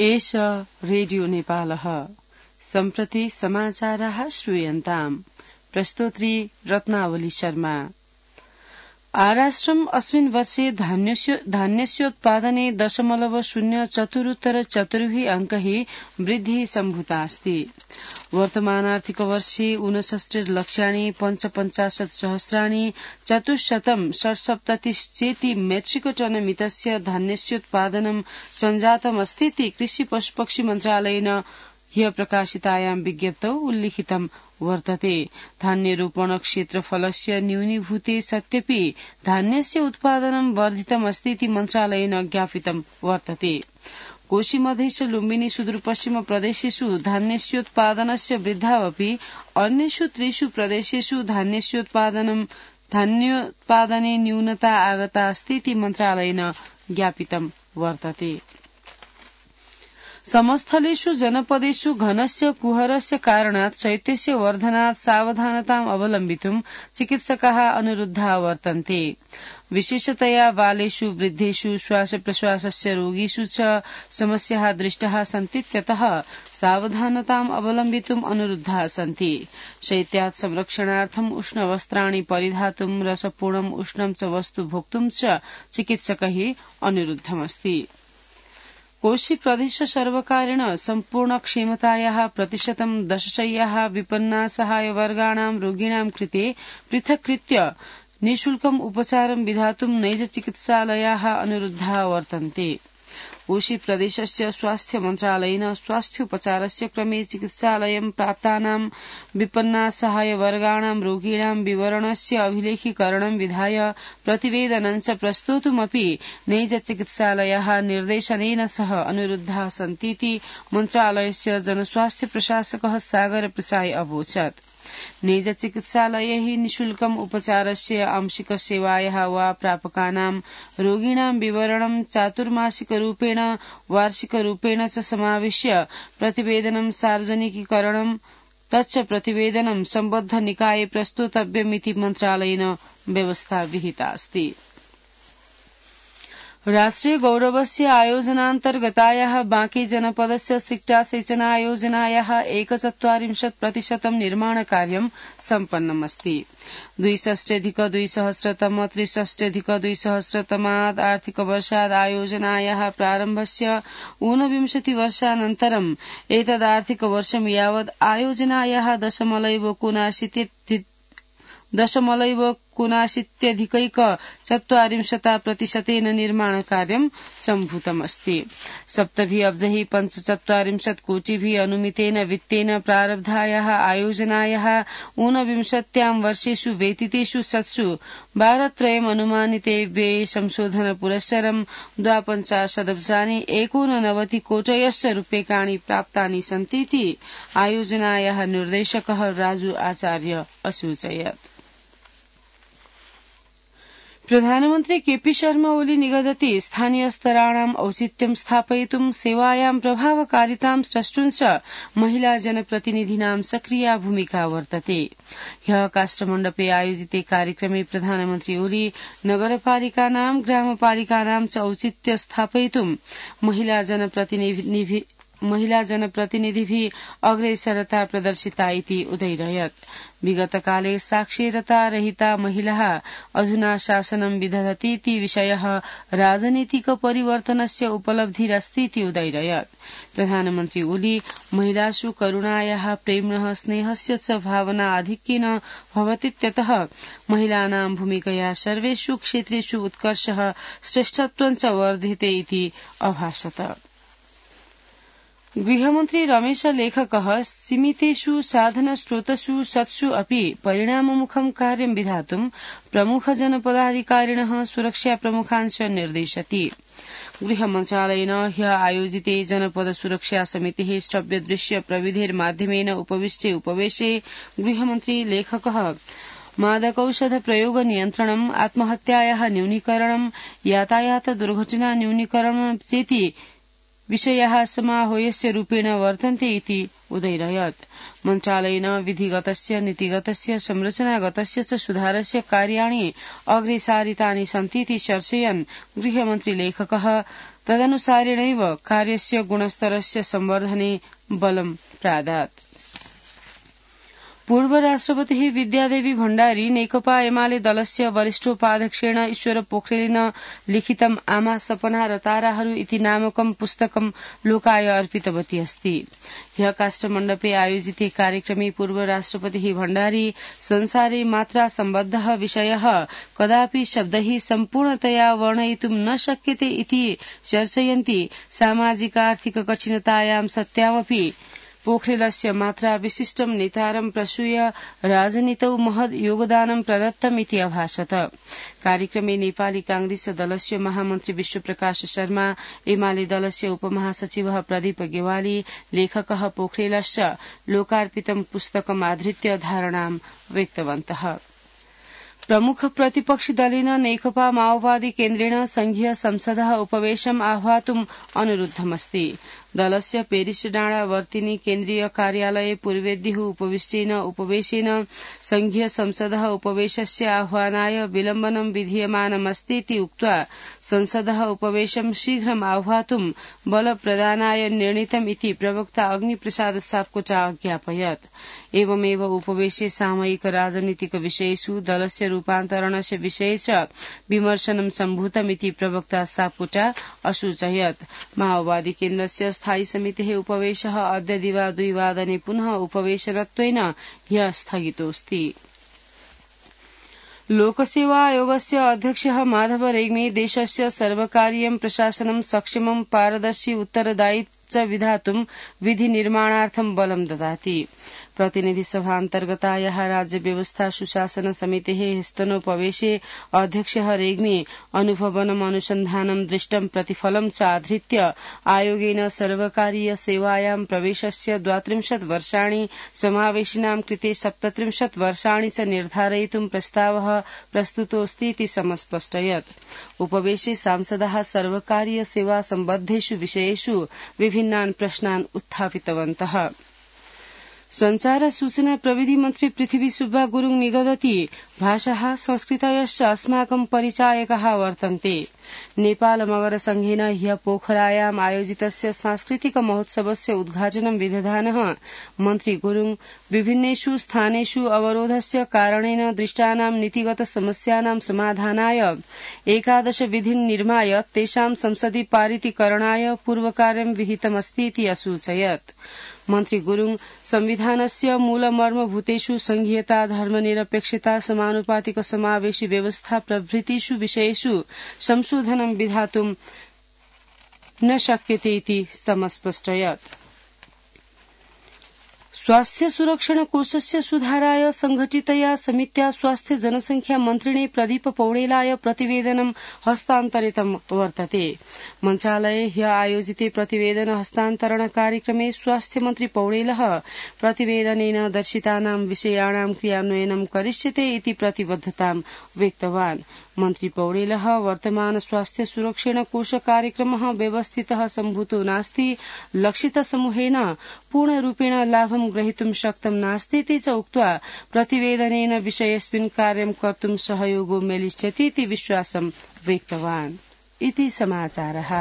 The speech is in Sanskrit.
एष रेडियो नेपालः सम्प्रति समाचाराः श्रूयन्ताम्। प्रस्तोत्री रत्नावली शर्मा। आराश्रम अस्मिन् वर्षे धान्यस्योत्पादने 0.04 अंकैः वृद्धिः सम्भूता अस्ति। वर्तमानार्थिक वर्षे 69 लक्षाणि 55 सहस्राणि 477 मेट्रिक टन मितस्य धान्यस्योत्पादनं सञ्जातमस्तीति कृषि पशुपक्षी मन्त्रालयेन ह्यः प्रकाशितायां विज्ञप्तौ उल्लिखितं वर्तते। धान्यरोपण क्षेत्रफलस्य न्यूनीभूते सत्यपि धान्यस्य उत्पादनं वर्धितमस्तीति मन्त्रालयेन ज्ञापितं वर्तते। कोशी मधेश लुम्बिनी सुदूरपश्चिम प्रदेशेषु धान्यस्योत्पादनस्य वृद्धावपि अन्येषु 3 प्रदेशेषु धान्योत्पादने न्यूनता आगता अस्तीति मन्त्रालयेन ज्ञापितं वर्तते। समस्थलेषु जनपदेषु घनस्य कुहरस्य कारणात् शैत्यस्य वर्धनात् सावधानताम् अवलम्बितुं चिकित्सकाः अनुरुद्धाः वर्तन्ते। विशेषतया बालेषु, वृद्धेषु, श्वासप्रश्वासस्य रोगीषु च समस्याः दृष्टाः सन्तीत्यतः सावधानताम् अवलम्बितुम् अनुरुद्धाः सन्ति। शैत्यात् संरक्षणार्थम् उष्णवस्त्राणि परिधातुं, रसपूर्णम् उष्णं च वस्तु भोक्तुं च चिकित्सकैः अनुरुद्धमस्ति। कोशी प्रदेश सर्वकारेण सम्पूर्ण क्षमतायाः 10% शय्याः विपन्नासहायवर्गाणां रोगिणां कृते पृथक्कृत्य निःशुल्कम् उपचारं विधातुं नैजचिकित्सालयाः अनुरुद्धाः वर्तन्ते। कोशी प्रदेशस्य स्वास्थ्य मन्त्रालयेन स्वास्थ्योपचारस्य क्रमे चिकित्सालयं प्राप्तानां विपन्नासहायवर्गाणां रोगिणां विवरणस्य अभिलेखीकरणं विधाय प्रतिवेदनं च प्रस्तोतुमपि नैजचिकित्सालयाः निर्देशनेन सह अनुरुद्धाः सन्तीति मन्त्रालयस्य जनस्वास्थ्य प्रशासकः सागर प्रसाई अवोचत्। नैजचिकित्सालयैः निःशुल्कम् उपचारस्य आंशिक सेवायाः वा प्रापकानां रोगिणां विवरणं चातुर्मासिकरूपेण वार्षिकरूपेण च समाविश्य प्रतिवेदनं सार्वजनिकीकरणं तच्च प्रतिवेदनं सम्बद्ध निकाये प्रस्तोतव्यमिति मन्त्रालयेन व्यवस्था विहिता अस्ति। राष्ट्रिय गौरवस्य आयोजनान्तर्गतायाः बांके जनपदस्य सिक्टा सेचनायोजनायाः 41% निर्माणकार्यं सम्पन्नमस्ति। 62,200-63,200 आर्थिकवर्षात् आयोजनायाः प्रारम्भस्य 29 वर्षानन्तरम् एतदार्थिकवर्षं यावत् आयोजनायाः 0.69% निर्माणकार्यं सम्भूतमस्ति। 7,45 कोटिभिः अनुमितेन वित्तेन प्रारब्धायाः आयोजनायाः 29 वर्षेषु व्यतीतेषु सत्सु भारतत्रयम् अनुमानिते व्यये संशोधन पुरस्सरं 52 कोटयश्च रूप्यकाणि प्राप्तानि सन्तीति आयोजनायाः निर्देशकः राजू आचार्य असूचयत्। प्रधानमन्त्री केपी शर्मा ओली निगदति स्थानीयस्तराणाम् औचित्यं स्थापयितुं सेवायां प्रभावकारितां स्रष्टुं च महिला जनप्रतिनिधीनां सक्रिया भूमिका वर्तते। ह्यः काष्ठमण्डपे आयोजिते कार्यक्रमे प्रधानमन्त्री ओली नगरपालिकानां ग्रामपालिकानां च औचित्य स्थापयितुं महिला जनप्रतिनिधिभिः अग्रेसरता प्रदर्शिता इति उदैरयत्। विगतकाले साक्षरता रहिता महिलाः अधुना शासनं विदधतीति विषयः राजनीतिक परिवर्तनस्य उपलब्धिरस्तीति उदैरयत्। प्रधानमन्त्री ओली महिलासु करुणायाः प्रेम्णः स्नेहस्य च भावना आधिक्येन भवतीत्यतः महिलानां भूमिकया सर्वेषु क्षेत्रेषु उत्कर्षः श्रेष्ठत्वं च वर्धते इति अभाषत। गृहमन्त्री रमेश लेखकः सीमितेषु साधनस्रोतसु सत्सु अपि परिणाममुखं कार्यं विधातुं प्रमुखजनपदाधिकारिणः सुरक्षाप्रमुखान् च निर्देशति। गृहमन्त्रालयेन ह्यः आयोजिते जनपद सुरक्षा समितेः श्रव्यदृश्य प्रविधिर्माध्यमेन उपवेशे गृहमन्त्री लेखकः मादकौषध प्रयोग नियन्त्रणम्, आत्महत्यायाः न्यूनीकरणं, यातायात दुर्घटना न्यूनीकरणं चेति विषयाः समाह्वयस्य रूपेण वर्तन्ते इति उदैरयत्। मन्त्रालयेन विधिगतस्य नीतिगतस्य संरचनागतस्य च सुधारस्य कार्याणि अग्रेसारितानि सन्तीति चर्चयन् गृहमन्त्री लेखकः तदनुसारेणैव कार्यस्य गुणस्तरस्य संवर्धने बलं प्रादात्। पूर्व राष्ट्रपतिः विद्यादेवी भण्डारी नेकपा एमाले दलस्य वरिष्ठोपाध्यक्षेण ईश्वर पोखरेलेन लिखितम् आमा सपना र ताराहरू इति नामकं पुस्तकं लोकाय अर्पितवती अस्ति। ह्यः काष्ठमण्डपे आयोजिते कार्यक्रमे पूर्व राष्ट्रपतिः भण्डारी संसारे मात्रा सम्बद्धः विषयः कदापि शब्दैः सम्पूर्णतया वर्णयितुं न शक्यते इति चर्चयन्ति सामाजिकार्थिक कठिनतायां सत्यामपि पोखरेलस्य मात्रा विशिष्टं नेतारं प्रसूय राजनीतौ महद् योगदानं प्रदत्तम् इति अभाषत। कार्यक्रमे नेपाली कांग्रेस दलस्य महामन्त्री विश्वप्रकाश शर्मा, एमाले दलस्य उपमहासचिवः प्रदीप गेवाली, लेखकः पोखरेलश्च लोकार्पितं पुस्तकमाधृत्य धारणां व्यक्तवन्तः। प्रमुख प्रतिपक्षी दलेन नेकपा माओवादी केन्द्रेण संघीय संसदः उपवेशम् आह्वातुम् अनुरुद्धमस्ति। दलस्य पेरिस डाँडा वर्तिनी केन्द्रीय कार्यालये पूर्वेद्युः उपविष्टेन उपवेशेन संघीय संसदः उपवेशस्य आह्वानाय विलम्बनं विधीयमानमस्तीति उक्त्वा संसदः उपवेशं शीघ्रम् आह्वातुम् बलप्रदानाय निर्णीतम् इति प्रवक्ता अग्निप्रसाद सापकोटा अज्ञापयत्। एवमेव उपवेशे सामयिक राजनीतिक विषयेषु दलस्य रूपान्तरणस्य विषये च विमर्शनं सम्भूतमिति प्रवक्ता सापकोटा असूचयत्। माओवादी केन्द्रस्य स्थायी समितेः उपवेशः अद्य दिवा 2 वादने पुनः उपवेशनत्वेन ह्यः स्थगितोऽस्ति। लोकसेवा आयोगस्य अध्यक्षः माधव रेग्मी देशस्य सर्वकारीयं प्रशासनं सक्षमं पारदर्शी उत्तरदायी च विधातुं विधि निर्माणार्थं बलं ददाति। प्रतिनिधि सभान्तर्गतायाः राज्य व्यवस्था सुशासन समितेः स्तनोपवेशे अध्यक्षः रेग्मी अनुभवनम् अनुसन्धानं दृष्टं प्रतिफलं च आधृत्य आयोगेन सर्वकारीय सेवायां प्रवेशस्य 32 वर्षाणि समावेशिनां कृते 37 वर्षाणि च निर्धारयितुं प्रस्तावः प्रस्तुतोऽस्ति इति समस्पष्टयत्। उपवेशे सांसदाः सर्वकारीय सेवा सम्बद्धेषु विषयेषु विभिन्नान् प्रश्नान् उत्थापितवन्तः। संचार सूचना प्रविधि मन्त्री पृथ्वी सुब्बा गुरुङ निगदति भाषाः संस्कृतयश्च अस्माकं परिचायकाः वर्तन्ते। नेपाल मगर संघेन ह्यः पोखरायाम् आयोजितस्य सांस्कृतिक महोत्सवस्य उद्घाटनं विदधानः मन्त्री गुरुङ विभिन्नेषु स्थानेषु अवरोधस्य कारणेन दृष्टानां नीतिगत समस्यानां समाधानाय 11 विधीन् निर्माय तेषां संसदि पारितीकरणाय पूर्वकार्यं विहितमस्ति इति असूचयत्। मन्त्री गुरुङ संविधानस्य मूलमर्मभूतेषु संघीयता, धर्मनिरपेक्षता, समानुपातिक समावेशी व्यवस्था प्रभृतिषु विषयेषु संशोधनं विधातुं न शक्यते इति समस्पष्टयत्। स्वास्थ्य सुरक्षण कोषस्य सुधाराय संघटितया समित्या स्वास्थ्य जनसंख्या मन्त्रिणे प्रदीप पौडेलाय प्रतिवेदनं हस्तान्तरितं वर्तते। मन्त्रालये ह्यः आयोजिते प्रतिवेदन हस्तान्तरण कार्यक्रमे स्वास्थ्य मन्त्री पौडेलः प्रतिवेदनेन दर्शितानां विषयाणां क्रियान्वयनं करिष्यते इति प्रतिबद्धतां व्यक्तवान्। मन्त्री पौडेलः वर्तमान स्वास्थ्य सुरक्षण कोष कार्यक्रमः व्यवस्थितः सम्भूतो नास्ति, लक्षित समूहेन पूर्णरूपेण लाभं ग्रहीतुं शक्तं नास्तीति च उक्त्वा प्रतिवेदनेन विषयेऽस्मिन् कार्यं कर्तुं सहयोगो मेलिष्यति इति विश्वासं व्यक्तवान्। इति समाचारः।